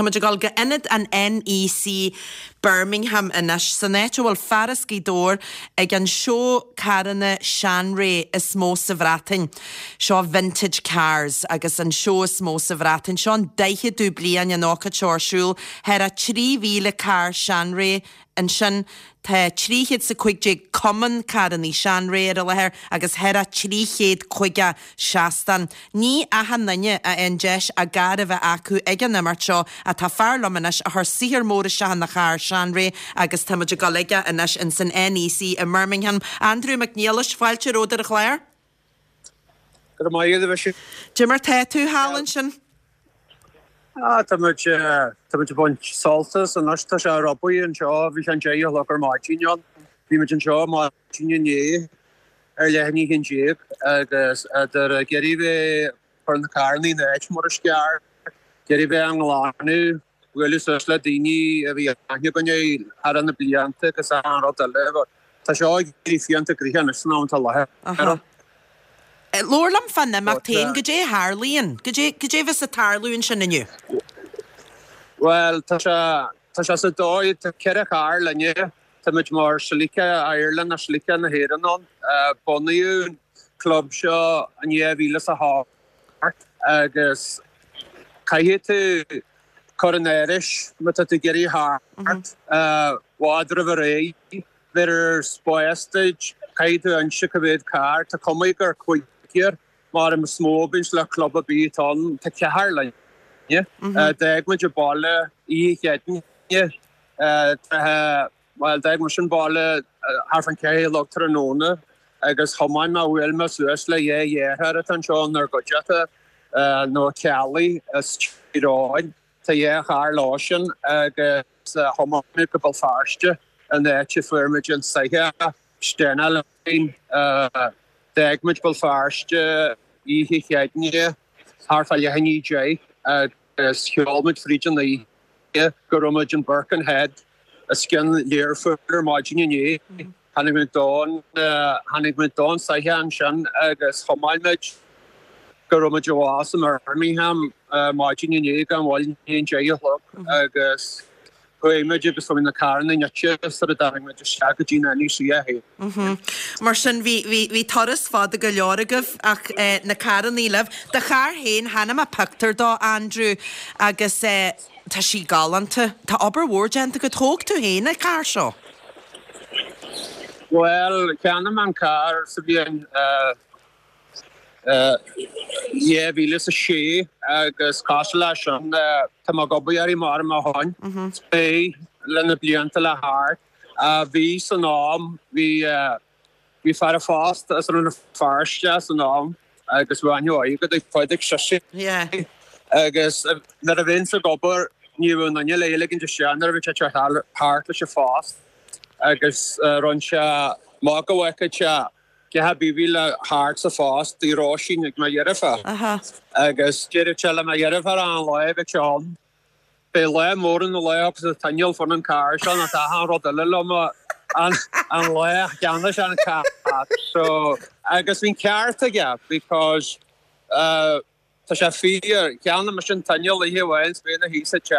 Tá muid ag dul go ionad an NEC Birmingham anois, san áit a bhfuil fear as Gaoth Dobhair ag an seó carranna seanré is mó sa Bhreatain. Seo Vintage Cars agus an seó is mó sa Bhreatain. Seo an daicheadú bliain an ócáid seo ar siúl. Thar a 3,000 carr seanré ansin. Tá 315 cumann carrannaí seanré ar an láthair agus thar a 350 seastán. Ní achan duine a fhaigheann deis a gcarr a bheith acu ag an imeacht seo ach tá fear liom anois a chuir saothar mór isteach ina charr seanré agus tá muid ag dul aige anois ins an NEC i mBirmingham. Andrew Mac Niallais, fáilte romhat ar an chlár. Go raibh maith agat, a Mhichelle. Cad é mar tá tú thall ansin? Ah, tá muid, tá muid ag baint sult as anois, tá sé rubí anseo, bhí sé an 10 a chlog ar maidin ann. Bhí muid anseo maidin inné ar leath i ndiaidh a haon déag agus idir ag iarraidh bheith ag cur na carranna ina áit mar is ceart, ag iarraidh bheith á nglanadh, bualadh suas le daoine a bhí aithne againn thar na blianta agus achan rud eile but tá seo ag éirí fiánta gnoitheach anois san am atá i láthair ann. Labhair liom fán imeacht féin, goidé a tharlaíonn, goidé, goidé a bheas ag tarlú ansin inniu? Bhuel, tá sé, tá sé sa dóigh, tá 4 charr linne, tá muid mar Celica Ireland nó Celica na hÉireann ann. Bunaíodh an club seo in 2008 agus caithfidh tú cur in áirithe má tá tú ag iarraidh theacht i bhfad roimh ré. Bheirtear spás duit, caithfidh tú inse cá mhéad carr, tá cuma gur cúigear mar is mó a bhíonns le club ar bith atá ann, tá ceathrar linne. D'fhág muid an baile oíche Chéadaoine, bhuel d'fhág mise an baile thart fán cheathrú a chlog tráthnóna agus thiomáin mé, bhuail mé suas le dhá dheartháir atá anseo inár gcuideachta, na Ceallaigh as Tír Eoghain. Tá dhá charr leo sin agus thiomáin muid go Béal Feirste an áit a fuair muid an soitheach Stena Line. D'fhág muid Béal Feirste oíche Chéadaoine thart fá leath i ndiaidh a deich agus sheol muid fríd an oíche go raibh muid in Birkenhead os cionn Learphoill ar maidin inné. Tháinig muid don, tháinig muid don soitheach ansin agus thiomáin muid go raibh muid abhus i mBirmingham maidin inné gan mhoill i ndiaidh an deich a chlog agus chuaigh muid agus bhí na carranna nite sar a dtáinig muid isteach go dtí an NEC é féin. Mar sin bhí, bhí, bhí turas fada go leor agaibh ach na carrannaí libh. Do charr féin, chonaic mé pictiúr dó, Andrew, agus eh, Tá sí galánta. Tá obair mhór déanta agat. Thóg tú féin an carr seo. Bhuel, cheannaigh mé an carr sa bhliain 2006 agus cosúil leis sin, tá mé ag obair uirthi mar ó shin. Beidh le na blianta le thart. Bhí san am, bhí. Bhí fear an phost as Rann na Feirste san am agus bhí aithne mhaith agat ag Pádraig Sise agus nuair a bheinnse ag obair ní raibh aon duine le ligint isteach nuair a bhí sé ag teacht thart leis an phost agus rinne sé amach go bhfeicfeadh sé gach ar bith a bhí le thart sa phost i Róisín ag mo dheirfiúr agus deireadh sé le mo dheirfiúr an lá a bheadh sé ann Beidh lá mór an lá agus an t-inneall fán an carr seo nó tá achan rud eile liom an an lá a cheannaigh sé an carr so agus bhí an ceart aige because tá sé fíor cheannaigh mise an t-inneall oíche amháin 's bhí ina shuí sa teach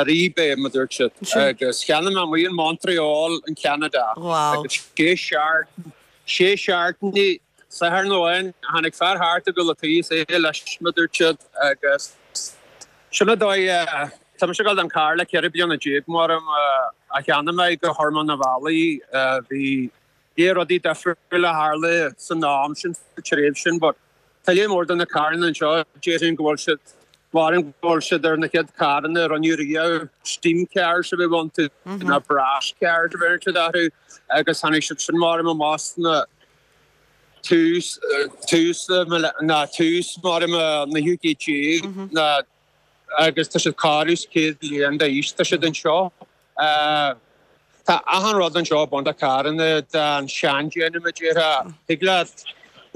ar eBay mar dúirt siad agus cheannaigh mé amuigh in Montreal in Canada agus sé seachtain sé seachtainí Satharn amháin tháinig fear thart ag dul a tí is é leis mar dúirt siad agus sin an dóigh tá mise ag dul don carr le 14 bliana mar a cheannaigh mé gur chuir mé na bhealaí bhí dhé rudaí difriúla a tharla san am sin sa tréimhse sin but tá léir mór do na carranna anseo déarfainn go bhfuil siad maram go bhfuil siad ar na chéad carranna a rinneadh riamh steam cars a bhí iontu na brass cars a bhí siad orthu agus tháinig siad sin maram amach sna tús, tús ná tús mar an naoú céad déag ná agus tá siad corradh is 100 bliain d'aois, tá siad anseo. Tá achan rud anseo ag baint le carranna den seandéanamh a déarfá. Thig leat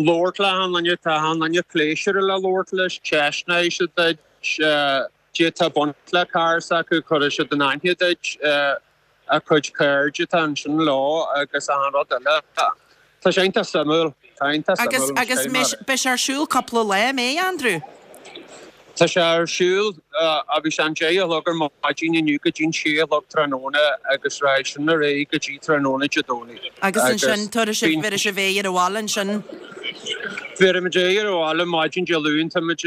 labhairt le achan duine, tá achan duine pléisiúrtha le labhairt leis, ceistneoidh siad duit, d'fhéadfá baint le carr s'acu, cuirfidh siad in aithne duit. a cuid cairde atá ansin leo agus achan rud eile. Tá sé iontach suimiúil. Tá iontach suimiúil. Agus beidh sé ar siúl cúpla lá, an mbeidh, Andrew? Tá sé ar siúl, bhí sé an 10 a chlog ar maidin inniu go dtí an 6 a chlog tráthnóna agus raghaidh sin ar aghaidh go dtí tráthnóna Dé Domhnaigh. Agus ansin tabharfaidh sibh, bhéarfaidh sibh aghaidh ar an bhaile ansin? Bhéarfaimid aghaidh ar an bhaile maidin Dé Luain, táimid,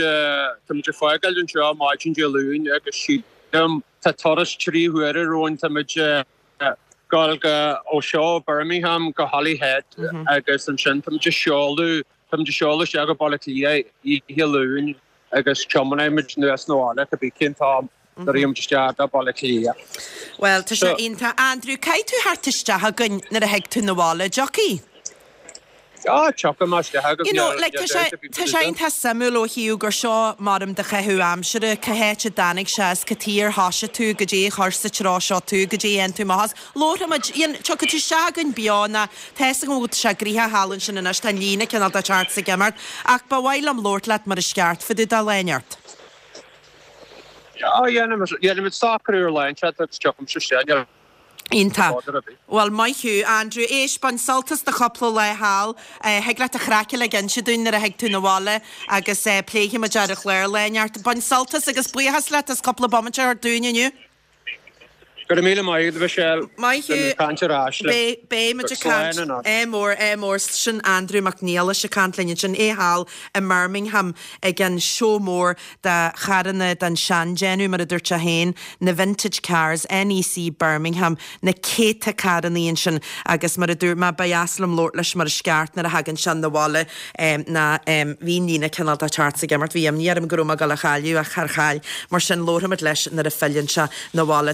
táimid ag fágáil anseo maidin Dé Luain agus sílim tá turas 3 huaire romhainn, táimid ag gabháil go, ó seo Birmingham go Holyhead agus ansin táimid ag seoladh, táimid ag seoladh isteach go Baile Átha Cliath oíche Luain. agus tiomáinfidh muid anuas 'na bhaile cibé cén t-am a raghaidh muid isteach go Baile Átha Cliath. Bhuel, tá sé iontach. Andrew, caithfidh tú theacht isteach chugainn nuair a thig tú 'na bhaile, dtiocfaidh? Ah, tiocfaidh mé isteach agaibh, You know, like, tá sé, tá sé iontach suimiúil ó thaobh gur seo maram do chaitheamh aimsire, cá háit a dtáinig sé as, cad chuige ar thoisigh tú, goidé a chuir sa treo seo tú, goidé a dhéan tú amach as. Labharfaidh muid, Ian, tiocfaidh tú isteach chugainn beo ná tá fhios agam go bhfuil sé gnoitheach thall ansin anois, tá an líne cineál de teacht 's ag imeacht, ach ba mhaith liom labhairt leat mar is ceart fá dtaobh de lá inteacht. Á, dhéanfaimid socrú ar lá inteacht agus tiocfaimse isteach, níl Iontach. bother ar bith. Bhuel, maith thú, Andrew. Éist, bain sult as do chúpla lá thall. Thig leat an chraic uilig a inse dúinn nuair a thig tú 'na bhaile agus pléifidh muid ar an chlár lá inteacht. Bain sult as agus buíochas leat as cúpla bomaite a thabhairt dúinn inniu. Go raibh míle maith agat, a Mhichelle. Maith thú. Beidh muid ag caint ar ais le. Beidh, beidh muid ag caint. Slán anois. Ádh mór, ádh mór. Sin Andrew Mac Niallais ag caint linn ansin, é thall i mBirmingham ag an seó mór de charranna den seandéanamh, mar a dúirt sé féin, na vintage cars, NEC Birmingham, na céadta carrannaí ansin agus mar a dúirt mé, ba dheas liom labhairt leis mar is ceart nuair a thagann sé 'na bhaile ná bhí an líne cineál de teacht 's ag imeacht, bhí imní orm go raibh mé ag dul a chailleadh ach char chaill, mar sin labharfaimid leis nuair a philleann sé 'na bhaile.